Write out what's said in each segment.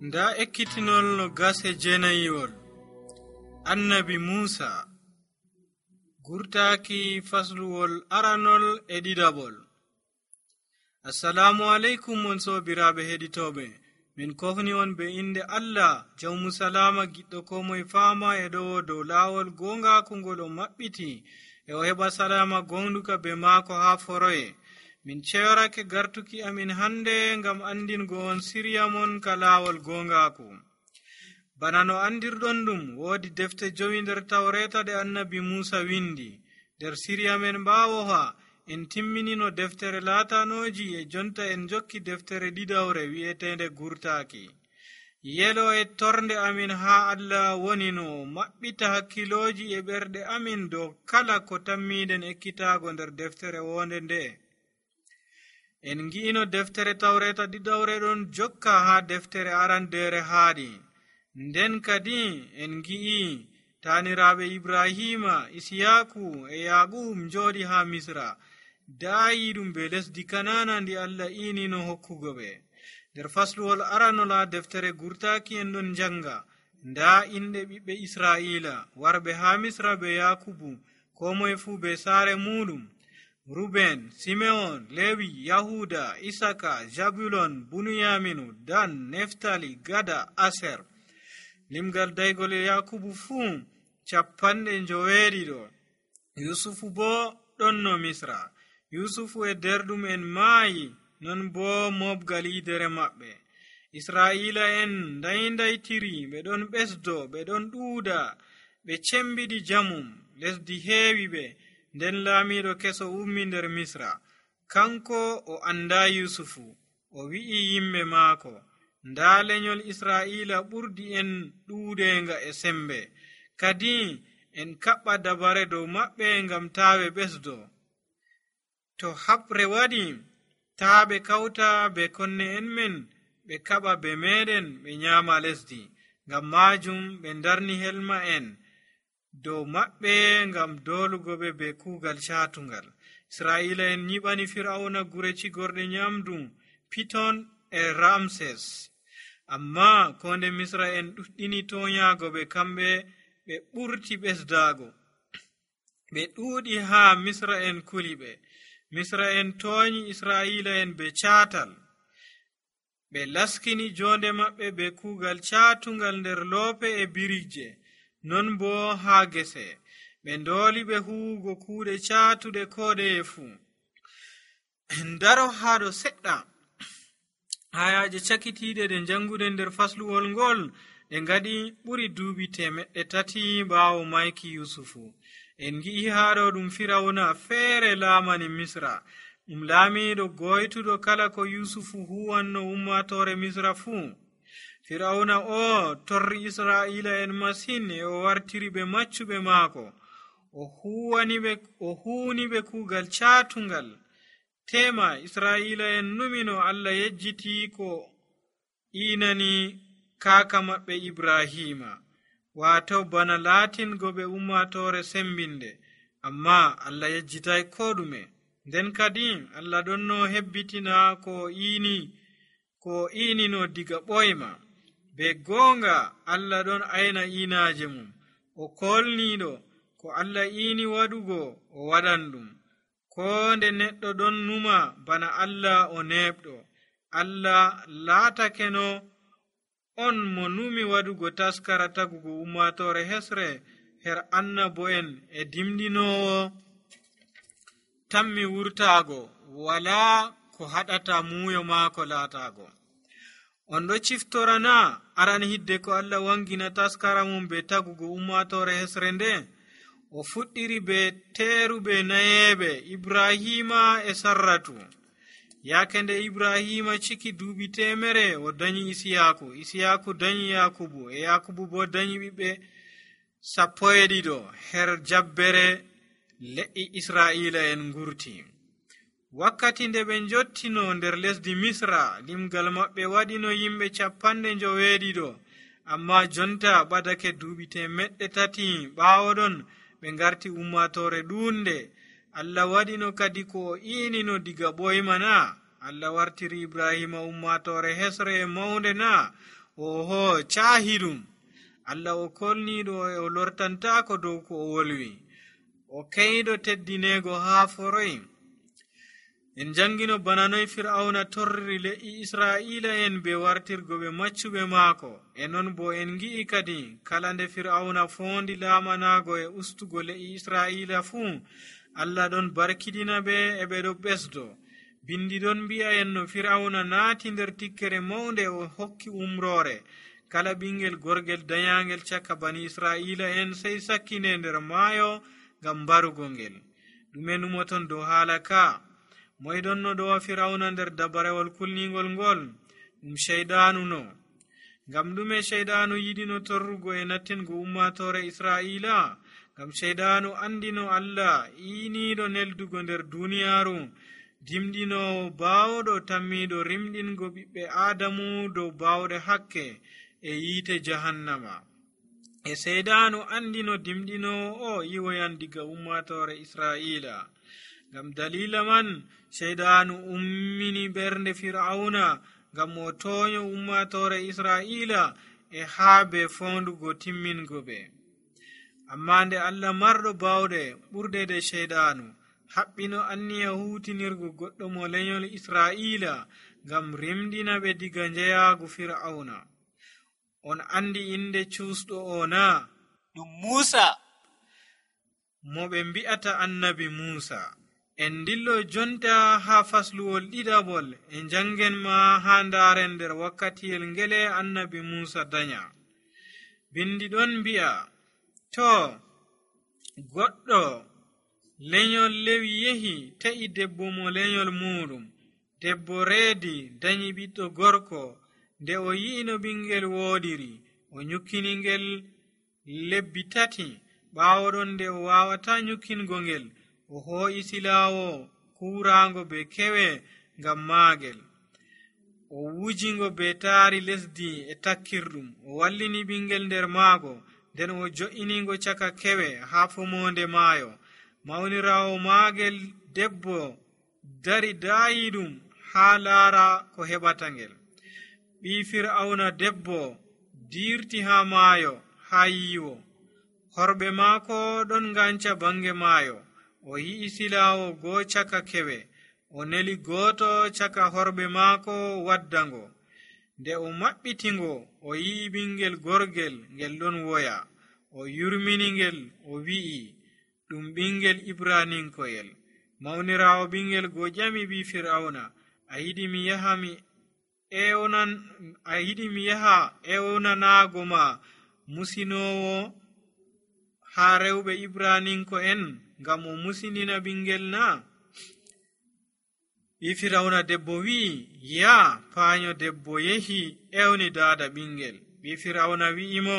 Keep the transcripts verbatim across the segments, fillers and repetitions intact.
Nda ekkitinol no gase jeenayiwol annabi Muusa gurtaaki fasluwol aranol e ɗiɗaɓol. Assalamu alaikum on sobiraaɓe heɗitooɓe, min kofni on be inde Allah jawmu salama giɗɗo ko moye faama e ɗowo dow laawol gongaku ngol o maɓɓiti e o heɓa salama gonduka be maako haa foroye. Min ceyorake gartuki amin hande ngam andingo on sirya mon ka laawol gongaku. Bana no andirɗon ɗum, woodi defte jowi nder tawreta ɗe annabi Muusa windi. Nder sirya men ɓaawoha en timmini no deftere laatanoji e jonta en jokki deftere ɗiɗawre wi'etende gurtaaki. Yelo e torde amin haa Allah woni no maɓɓita hakkiloji e ɓerɗe amin dow kala ko tammiɗen ekkitaago nder deftere wonde nde. En ngi'ino deftere tawreta ɗiɗawre ɗon jokka haa deftere arandere haaɗi. Nden kadi en ngi'i taaniraaɓe Ibrahima, Isiyaku e Yaaqub njooɗi haa Misra, daayi ɗum be lesdi Kanana ndi Allah iinino hokkugo ɓe. Nder fasluwol aranol haa deftere gurtaaki en ɗon njanga nda inɗe ɓiɓɓe Israa'ila warɓe haa Misra be Yakubu, ko moye fuu be saare muɗum: Ruben, Simeon, Lewi, Yahuda, Isaka, Jabulon, Bunuyaminu, Dan, Neftali, Gada, Aser. Limgal daygol Yakubu fuu capanɗe njoweeɗiɗo. Yusufu bo ɗon no Misra. Yusufu e derɗum en maayi, non bo mobgal yidere maɓɓe. Israa'ila en ndayi-ndaytiri, ɓe ɗon ɓesdo, ɓe ɗon ɗuuɗa, ɓe cembiɗi jamum, lesdi heewi ɓe. Nden laamiiɗo keso ummi nder Misra. Kanko o anda Yusufu, o wi'i yimɓe maako, nda lenyol Israa'ila ɓurdi en ɗuuɗenga e sembe, kadi en kaɓɓa dabare dow maɓɓe ngam taa ɓe ɓesdo. To haɓre waɗi, taa ɓe kawta be konne en men ɓe kaɓa be meɗen ɓe nyaama lesdi. Ngam maajum ɓe ndarni helma en dow maɓɓe ngam dolugo ɓe be kuugal caatungal. Israa'ila en nyiɓani Fir'auna gure cigorɗe nyamdu Piton e Ramses. Amma konde Misra en ɗuɗɗini toonyaago ɓe, kamɓe ɓe ɓurti ɓesdaago. Ɓe ɗuuɗi haa Misra en kuli ɓe. Misra en toonyi Israa'ila en be caatal. Ɓe laskini jonde maɓɓe be kuugal caatungal nder loope e birije, non bo haa gese. Ɓe ndooli ɓe huwugo kuuɗe caatuɗe koɗeye fuu. Ndaro haa ɗo seɗɗa. Hayaaje cakitiiɗe ɗe janguɗe nder fasluwol ngol ɗe ngaɗi ɓuri duuɓi temeɗɗe tati ɓaawo mayki Yusufu. En ngi'i haa ɗo ɗum Firawna feere laamani Misra, ɗum laamiiɗo goytuɗo kala ko Yusufu huwanno ummaatore Misra fuu. Firawna o torri Israa'ila en masin e o wartiri ɓe maccuɓe maako. O huwani ɓe, o huuni ɓe kuugal caatungal. Tema Israa'ila en numino Allah yejjiti ko iinani kaaka maɓɓe Ibrahima, waato bana laatingo ɓe ummaatore sembinde, amma Allah yejjitay ko ɗume. Nden kadi Allah ɗon no hebbitina ko iini ko iinino diga ɓoyma. Be goonga Allah ɗon ayna iinaaje mum. O kolniiɗo ko Allah iini waɗugo o waɗan ɗum. Ko nde neɗɗo ɗon numa bana Allah o neɓɗo, Allah laatakeno on mo numi waɗugo taskara tagugo ummaatore hesre her annabo'en e dimɗinoowo tammi wurtaago, walaa ko haɗata muuyo maako laataago. On ɗo ciftorana aran hidde ko Allah wangina taskara mum be tagugo ummaatore hesre nde. O fuɗɗiri be teeruɓe nayeeɓe Ibrahima e Sarratu. Yaake nde Ibrahima ciki duuɓi temere o danyi Isiyaku, Isiyaku danyi Yakubu, e Yakubu bo danyi ɓiɓɓe sappo e ɗiɗo her jabbere le'i Israa'ila en ngurti. Wakkati nde ɓe njottino nder lesdi Misra, limgal maɓɓe waɗino yimɓe capanɗe njoweeɗiɗo, amma jonta ɓadake duuɓi temeɗɗe tati ɓaawo ɗon ɓe ngarti ummaatore ɗuunde. Allah waɗino kadi ko o iinino diga ɓoyma na? Allah wartiri Ibrahima ummaatore hesre e mawnde na? oho caahiɗum. Allah o kolniiɗo e o lortantaako dow ko o wolwi, o keyɗo teddineego haa foroy. En jangino bana noy fir'auna torriri le'i israa'ila en be wartirgo ɓe maccuɓe maako. E non bo en ngi'i kadi kala nde fir'auna foondi laamanaago e ustugo le'i israa'ila fuu, Allah ɗon barkidina ɓe e ɓe ɗo ɓesdo. Bindi ɗon mbi'a en no fir'auna naati nder tikkere mawnde o hokki umroore kala ɓingel gorgel dayangel caka bani israa'ila en sey sakkine nder maayo ngam mbarugo ngel. ɗume numoton dow haala ka? moydon no ɗowa fir'auna nder dabarewol kulningol ngol? ɗum sheyɗaanu no. ngam ɗume sheyɗaanu yiɗino torrugo e nattingo ummatore israa'ila? ngam sheyɗaanu andino Allah iiniiɗo neldugo nder duniyaaru, dimɗinoowo baawɗo tammiiɗo rimɗingo ɓiɓɓe aadamu dow baawɗe hakke e yiite jahannama. e sheyɗaanu andino dimɗinoowo o yiwoyan diga ummatore israa'ila. ngam dalila man sheyɗaanu ummini ɓernde fir'auna ngam o tooño ummatore israa'ila e haa be foondugo timmingo ɓe. amma nde Allah marɗo baawɗe ɓurdede sheyɗaanu haɓɓino anniya huutinirgo goɗɗo mo lenyol israa'ila ngam rimɗina ɓe diga njeyaagu fir'auna. on andi inde cuusɗo o na? ɗum Muusa, mo ɓe mbi'ata annabi Muusa. en dillo jonta haa fasluwol ɗiɗaɓol e jangen ma haa ndaaren nder wakkatiyel ngele annabi Muusa danya. bindi ɗon mbi'a, to goɗɗo lenyol lewi yehi ta'i debbo mo lenyol muɗum. debbo reedi danyi ɓiɗɗo gorko. nde o yi'ino ɓingel woodiri, o nyukkini ngel lebbi tati. ɓaawo ɗon nde o wawata nyukkingo ngel, o hoo'i silaawo kuuraango be kewe ngam maagel. o wujingo be taari lesdi e takkirɗum. o wallini ɓingel nder maago, nden o jo'iningo caka kewe haa fomonde maayo. mawniraawo maagel debbo dari daayiɗum haa laara ko heɓata ngel. ɓii fir'auna debbo diirti haa maayo haa yiiwo. horɓe maako ɗon nganca bange maayo. o yi'i silaawo goo caka kewe. o neli gooto caka horɓe maako waddango. nde o maɓɓitingo, o yi'i ɓingel gorgel ngel ɗon woya. o yurmini ngel, o wi'i, ɗum ɓingel ibraninkoyel. mawniraawo ɓingel go ƴami ɓii fir'auna, a yiɗi mi yaha mi ewnan a yiɗi mi yaha ewnanaago ma musinoowo haa rewɓe ibraninko en ngam o musinina ɓingel na? ɓii fir'auna debbo wi'i, ya paanyo debbo yehi ewni daada ɓingel. ɓii fir'auna wi'imo,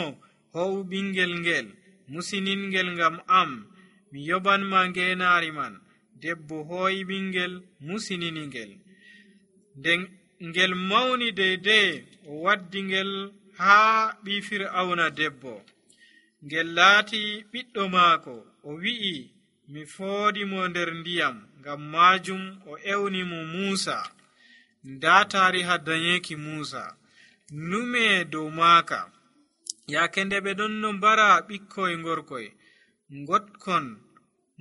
ho'u ɓingel ngel musiningel ngam am, mi yobanma ngeenaari man. debbo hooyi ɓingel musinini ngel. nden ngel mawni deydey, o waddi ngel haa ɓii fir'auna debbo. ngel laati ɓiɗɗo maako. o wi'i, mi foodimo nder ndiyam. ngam maajum o ewni mo Muusa. ndaa taariha danyeeki Muusa nume dow maaka. yaake nde ɓe ɗon no mbara ɓikkoy ngorkoy ngotkon,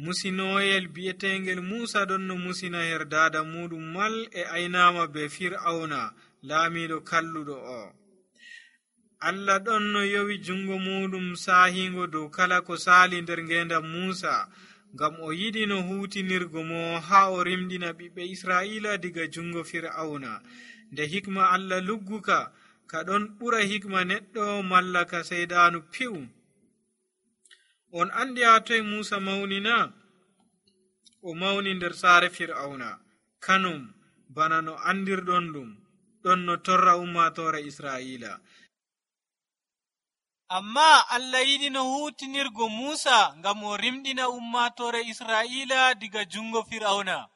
musinooyel bi'etengel Muusa ɗon no musina her daada muɗum mal e aynama be fir'auna laamiɗo kalluɗo o. Allah ɗon no yowi jungo muɗum saahingo dow kala ko saali nder ngendam Muusa, ngam o yiɗi no huutinirgo mo haa o rimɗina ɓiɓɓe Israa'ila diga jungo fir'auna. nde hikma Allah lugguka ka ɗon ɓura hikma neɗɗo malla ka seyɗaanu piw. on andi haa toy Muusa mawni na? o mawni nder saare fir'auna, kanum bana no andirɗon ɗum, ɗon no torra ummatore Israa'ila. amma Allah yiɗi no huutinirgo Muusa ngam o rimɗina ummatore Israa'ila diga jungo fir'auna.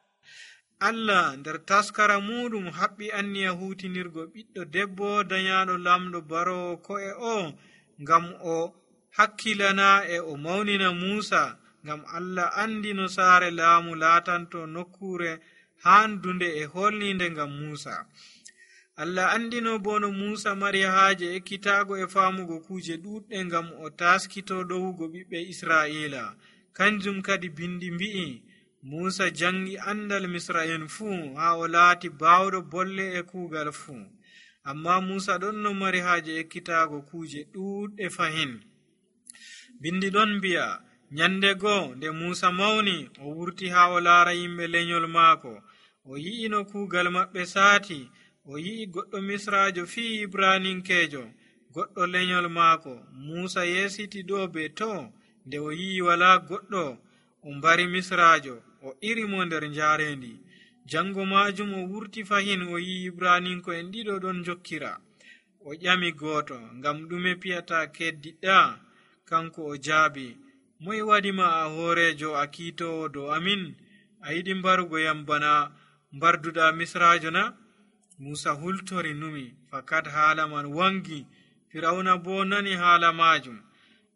Allah nder taskara muɗum haɓɓi anniya huutinirgo ɓiɗɗo debbo dayaɗo lamɗo barowo ko'e o ngam o hakkilana e o mawnina Muusa, ngam Allah andi no saare laamu laatanto nokkure handunde e holninde ngam Muusa. Allah andino bo no Muusa mari haaje ekkitaago e faamugo kuuje ɗuuɗɗe ngam o taskito ɗowugo ɓiɓɓe Israa'iila. Kanjum kadi bindi mbi'i Muusa jangi andal Misra'en fuu haa o laati baawɗo bolle e kuugal fuu. Amma Muusa ɗon no mari haaje ekkitaago kuuje ɗuuɗɗe fahin. Bindi ɗon mbi'a nyande goo nde Muusa mawni o wurti haa o laara yimɓe lenyol maako. O yi'i no kuugal maɓɓe saati. O yi'i goɗɗo Misraajo fii Ibraninkeejo goɗɗo lenyol maako. Muusa yeesiti ɗo be to. Nde o yi'i walaa goɗɗo o mbari Misraajo, o iri mo nder njaarendi. Jango maajum o wurti fahin o yi'i Ibraninko'en ɗiɗo ɗon jokkira. O ƴami gooto, ngam ɗume piyata keddiɗɗa? Kanko o jaabi, moye waɗima a hooreejo a kiitoowo dow amin? A yiɗi mbarugo yam bana mbarduɗa Misraajo na? Muusa hultori numi, fakat haala man wangi. Firawna bo nani haala maajum.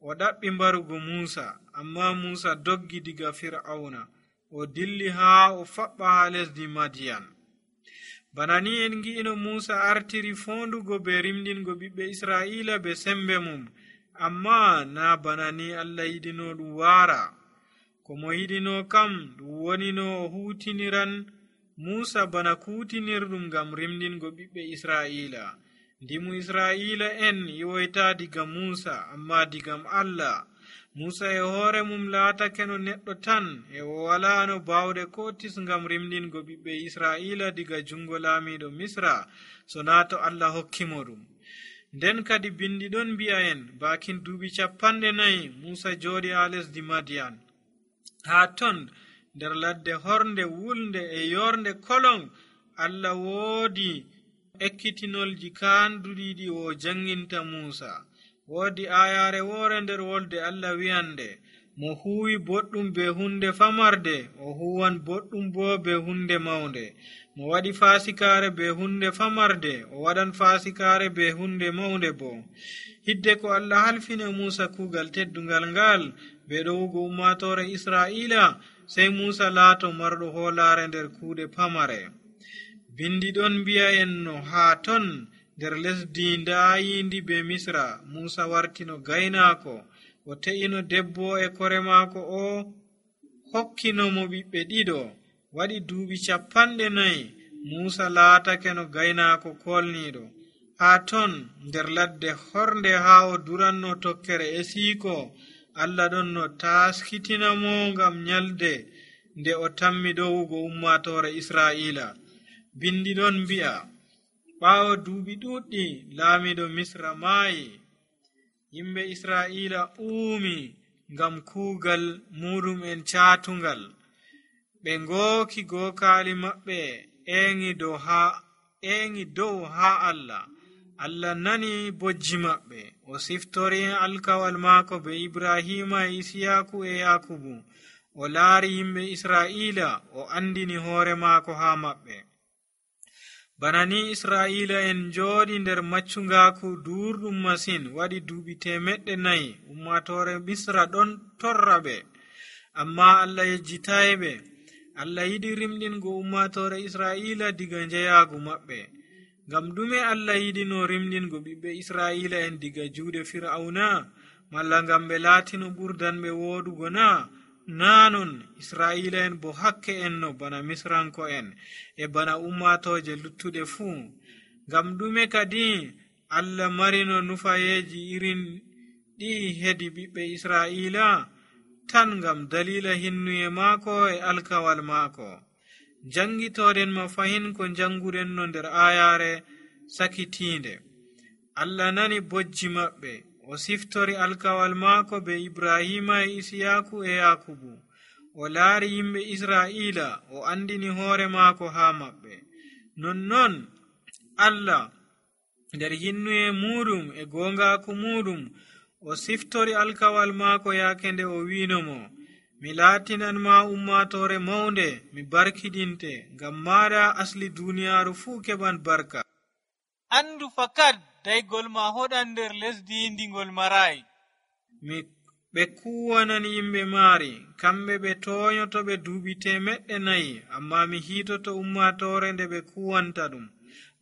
O ɗaɓɓi mbarugo Muusa, amma Muusa doggi diga Firawna. O dilli haa o faɓɓa haa lesdi Madiyan. Bana ni en ngi'ino Muusa artiri foondugo be rimɗingo ɓiɓɓe Israa'iila be sembe mum. Amma na bana ni Allah yiɗino ɗum waara. Ko mo yiɗino kam ɗum woni no o hutiniran Muusa bana kuutinirɗum ngam rimɗingo ɓiɓɓe Israa'iila. Ndimu Israa'iila en yoyta diga Muusa, amma digam Allah. Muusa e hoore mum laatake no neɗɗo tan, e o walaa no baawɗe ko tis ngam rimɗingo ɓiɓɓe Israa'iila diga jungo laamiiɗo Misra, so naa to Allah hokkimo ɗum. Nden kadi bindi ɗon mbi'a en baakin duuɓi capanɗe nayi Muusa jooɗi haa lesdi Madiyan. Haa ton nder ladde hornde wulnde e yornde kolon Allah woodi ekkitinolji kaanduɗiɗi o janginta Muusa. Woodi ayaare woore nder wolde Allah wi'ande, mo huwi boɗɗum be hunde famarde, o huwan boɗɗum bo be hunde mawnde. Mo waɗi faasikaare be hunde famarde, o waɗan faasikaare be hunde mawnde bo. Hidde ko Allah halfina Muusa kuugal teddungal ngal be ɗowugo ummaatoore Israa'iila, sey Muusa laato marɗo hoolaare nder kuuɗe pamare. Bindi ɗon mbi'a en no haa ton nder lesdi ndaayindi be Misra, Muusa wartino gaynaako. O te'ino debbo e kore maako, o hokkinomo ɓiɓɓe ɗiɗo. Waɗi duuɓi capanɗe nayi Muusa laatake no gaynaako kolniiɗo. Haa ton nder ladde hornde haa o duranno tokkere e siiko, Allah ɗon no taskitinamo ngam nyalde nde o tammi ɗowugo ummaatoore Israa'iila. Bindi ɗon mbi'a ɓaawo duuɓi ɗuuɗɗi laamiiɗo Misra maayi, yimɓe Israa'iila uumi ngam kuugal muɗum en caatungal. Ɓe ngooki gookaali maɓɓe eŋi dow haa eŋi dow haa Allah. Allah nani bojji maɓɓe. O siftori alkawal maako be Ibrahima e Isiyaaku e Yakubu. O laari yimɓe Israa'iila, o andini hoore maako haa maɓɓe. Bana ni Israa'iila en jooɗi nder maccungaaku duurɗum masin, waɗi duuɓi temeɗɗe nayi. Ummaatoore Misra ɗon torra ɓe, amma Allah yejjitayi ɓe. Allah yiɗi rimɗingo ummaatoore Israa'iila diga njeyaagu maɓɓe. Ngam ɗume Allah yiɗino rimɗingo ɓiɓɓe Israa'iila en diga juuɗe Firawna? Malla ngam ɓe laatino ɓurdanɓe wooɗugo na? Naa non, Israa'iila en bo hakke en no bana Misranko en e bana ummaatooje luttuɗe fuu. Ngam ɗume kadi Allah marino nufayeeji irin ɗi hedi ɓiɓɓe Israa'iila? Tan ngam dalila hinnuye maako e alkawal maako. Jangitooɗen ma fahin ko janguɗen no nder ayaare sakitiinde. Allah nani bojji maɓɓe. O siftori alkawal maako be Ibrahima e Isiyaaku e Yakubu. O laari yimɓe Israa'iila, o andini hoore maako haa maɓɓe. Nonnon Allah nder hinnuye muɗum e goongaaku muɗum, o siftori alkawal maako yaake nde o wiinomo, mi laatinan ma ummaatoore mawnde, mi barkiɗinte, ngam maaɗa asli duuniyaaru fuu keɓan barka. Andu fakat daygol ma hoɗan nder lesdi ndigol marayi. Mi ɓe kuwanan yimɓe maari, kamɓe ɓe tooñoto ɓe duuɓi temeɗɗe nayi, amma mi hiitoto ummaatoore nde ɓe kuwanta ɗum.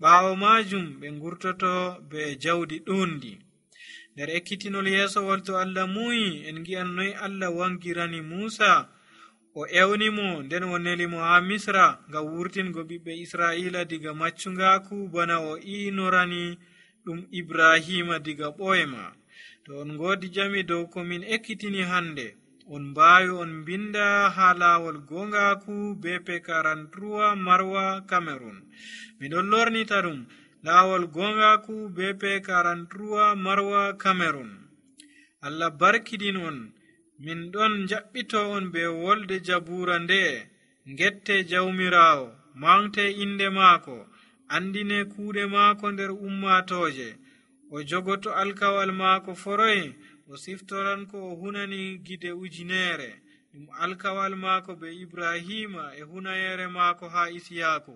ɓaawo maajum ɓe ngurtoto be jawdi ɗuundi. nder ekkitinol yeesowol to Allah muuyi en ngi'an noy Allah wangirani Muusa o ewnimo nden o neli mo haa Misra ngam wurtingo ɓiɓɓe Israa'iila diga maccungaaku bana o iinorani ɗum Ibrahima diga ɓoyma. to on ngoodi jami dow ko min ekkitini hande, on mbaawi on mbinda haa laawol gongaaku be pe karantuwa marwa Cameron. miɗon lornita ɗum laawol gongaaku be pe karantuwa marwa Cameron. Allah barkidin on. min ɗon jaɓɓito on be wolde jabuura nde. ngette jawmiraawo, mawte inde maako, andine kuuɗe maako nder ummatooje. o jogoto alkawal maako foroy, o siftoran ko o hunani gide ujineere, ɗum alkawal maako be Ibrahima e hunayere maako haa Isiyaaku.